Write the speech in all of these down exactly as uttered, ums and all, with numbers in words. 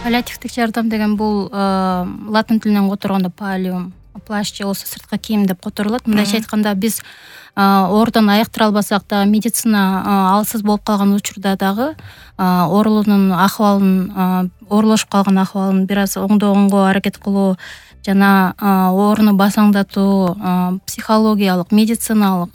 Паллиативдик жардам деген бул латын тилинен которгондо палиум, плащ же болбосо сырткы кийим деп которулат. Мындайча айтканда биз оорудон айыктыра албасак да, медицина алсыз болуп калган учурда дагы оорулуунун акыбалын, оорулошуп калган акыбалын бир аз оңдогонго аракет кылуу жана ооруну басаңдатуу, психологиялык, медициналык,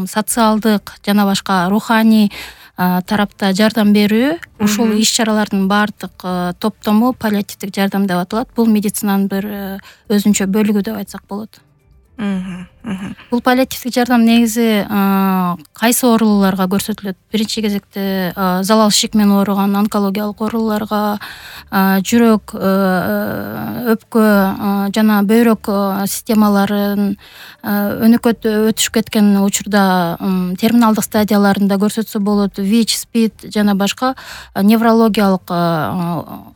социалдык жана башка руханий тарапта жардам берүү, ушул иш-чаралардын баардык топтому паллиативдик жардам деп аталат. Бул медицинанын бир өзүнчө бөлүгү деп айтсак болот. Бул паллиативдик жардам негизи кайсы оорулууларга көрсөтүлөт? Биринчи кезекте залал ишик менен ооруган онкологиялык ооруларга, жүрөк, өпкө жана бөйрөк системаларын өнөкөт өтүшүп кеткен учурда терминалдык стадияларында көрсөтсө болот. ВИЧ, СПИД жана башка неврологиялык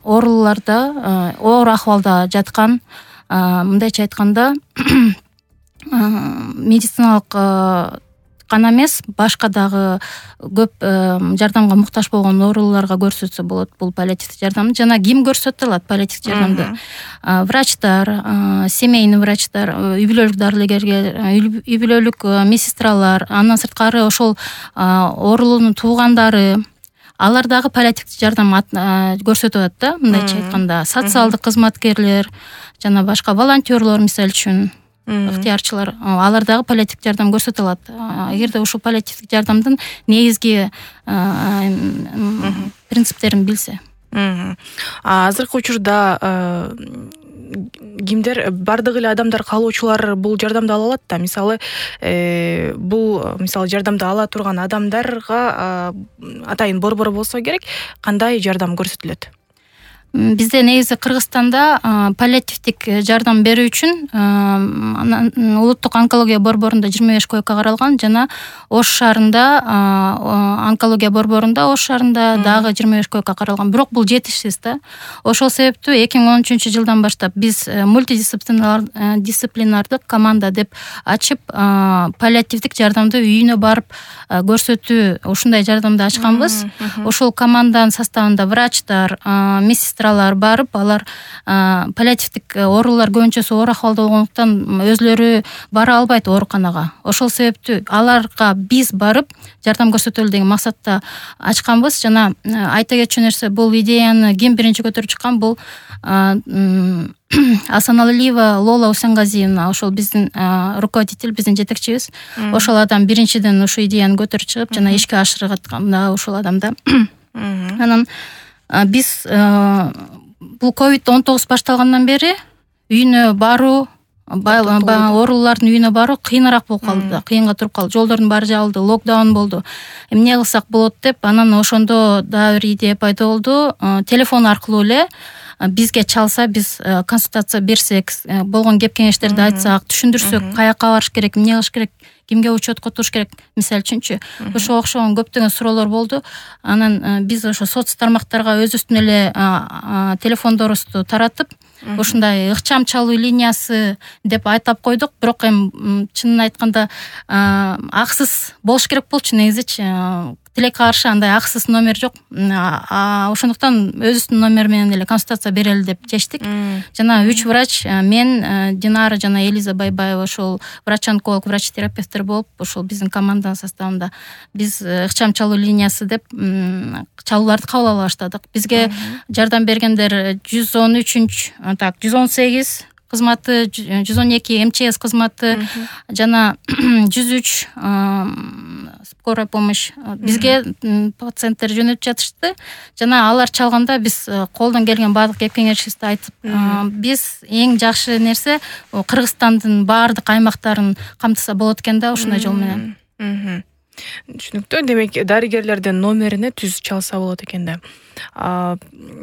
ооруларда, оор акыбалда жаткан, мындайча айтканда медициналык гана эмес, башка дагы көп жардамга муктаж болгон ооруларга көрсөтсө болот бул паллиативдик жардамды. Жана ким көрсөтө алат паллиативдик жардамды? Врачтар, семейный врачтар, үй бүлөлүк дарыгерлер, үй бүлөлүк медсестралар, андан сырткары ошол оорулуунун туугандары, алар дагы паллиативдик жардам көрсөтүп атат да, мындайча айтканда. Социалдык кызматкерлер жана башка волонтерлор, мисалы үчүн ыктыярчылар, алар дагы паллиативдик жардам көрсөтө алат. Эгерде ушул паллиативдик жардамдын негизги принциптерин билсе. Азыркы учурда кимдер, бардык эле адамдар, каалоочулар бул жардамды ала алат да. Мисалы, бул мисалы жардамды ала турган адамдарга атайын борбор болсо керек, кандай жардам көрсөтүлөт? Бизде негизи Кыргызстанда паллиативдик жардам берүү үчүн улуттук онкология борборунда жыйырма беш койка каралган, жана Ош шаарында, онкология борборунда Ош шаарында дагы жыйырма беш койка каралган. Бирок бул жетишсиз да. Ошол себептүү эки миң он үчүнчү жылдан баштап биз мультидисциплинардык команда деп ачып, паллиативдик жардамды үйүнө барып көрсөтүү, ушундай жардамды ачканбыз. Ошол команданын составында врачтар, медсестра барып, алар паллиативдик оорулар көбүнчөсү оор акыбалда болгондуктан өзлөрү бара албайт ооруканага. Ошол себептүү аларга биз барып жардам көрсөтөлү деген максатта ачканбыз. Жана айта кетчү нерсе, бул идеяны ким биринчи көтөрүп чыккан? Бул Асаналиева Лола Усенгазиевна, ошол биздин руководитель, биздин жетекчибиз. Ошол адам биринчиден ушу идеяны көтөрүп чыгып, жана ишке ашыргаткан да ошол адамда. Анан биз бул ковид он тогуз башталгандан бери үйүнө баруу, оорулуулардын үйүнө баруу кыйыныраак болуп калды, кыйынга туруп калды. Жолдордун баары жабылды, локдаун болду. Эмне кылсак болот деп, анан ошондо дагы бир идея пайда болду. Телефон аркылуу эле бизге чалса, биз консультация берсек, болгон кеп кеңештерди айтсак, түшүндүрсөк, каяка барыш керек, эмне кылыш керек, кимге учетко туруш керек, мисалы үчүнчү. Ошого окшогон көптөгөн суроолор болду. Анан биз ошо соц тармактарга өзүбүздүн эле телефондорубузду таратып, ушундай ыкчам чалуу линиясы деп айтап койдук. Бирок эми чынын айтканда аксыз болуш керек болчу негизичи. Тилекке каршы андай аксыз номер жок. Ошондуктан өзүбүздүн номер менен эле консультация берели деп чечтик. Жана үч врач, мен, Динара жана Элиза Байбаева, ошол врач-онколог, врач-терапевттер болуп, ошол биздин команданын составында биз ыкчам чалуу линиясы деп чалууларды кабыл ала баштадык. Бизге жардам бергендер жүз он үч, так, жүз он сегиз кызматы, жүз он эки МЧС кызматы жана жүз үч скорая помощь бизге пациенттер жөнөтүп жатышты. Жана алар чалганда биз колдон келген баардык кеп кеңешибизди айтып, биз эң жакшы нерсе Кыргызстандын баардык аймактарын камтыса болот экен да ушундай жол менен. Түшүнүктүү. Демек, дарыгерлердин номерине түз чалса болот экен да.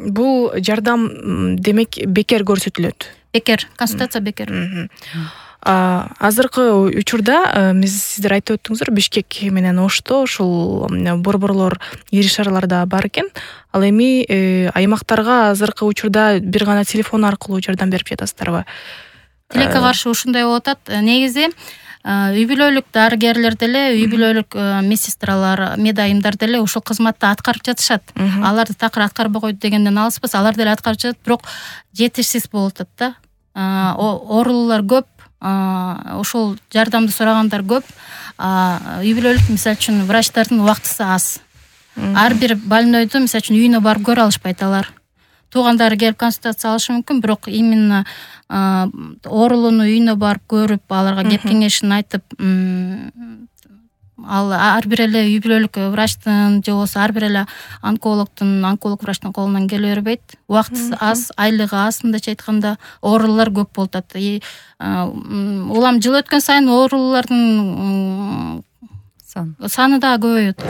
Бул жардам демек бекер көрсөтүлөт. Бекер, консультация бекер. Азыркы учурда сиздер айтып өттүңүздөр, Бишкек менен Ошто ушул борборлор, ири шаарларда бар экен. Ал эми аймактарга азыркы учурда бир гана телефон аркылуу жардам берип жатасыздарбы? Тилекке каршы ушундай болуп атат. Негизи үй бүлөлүк дарыгерлер деле, үй бүлөлүк медсестралар, медайымдар деле ушул кызматты аткарып жатышат. Аларды такыр аткарбай койду дегенден алыспыз, алар деле аткарып жатат, бирок жетишсиз болуп атат да. Оорулуулар көп, ошол жардамды сурагандар көп. Үй бүлөлүк мисалы үчүн врачтардын убактысы аз. Ар бир больнойду мисалы үчүн үйүнө барып көрө алышпайт алар. Туугандары келип консультация алышы мүмкүн, бирок именно оорулууну үйүнө барып көрүп, аларга кеп кеңешин айтып, ал ар бир эле үй бүлөлүк врачтын же болбосо ар бир эле онкологдун, онколог врачтын колунан келе бербейт. Убактысы аз, айлыгы аз, мындайча айтканда, оорулуулар көп болуп атат. Улам жыл өткөн сайын оорулуулардын саны да көбөйөт.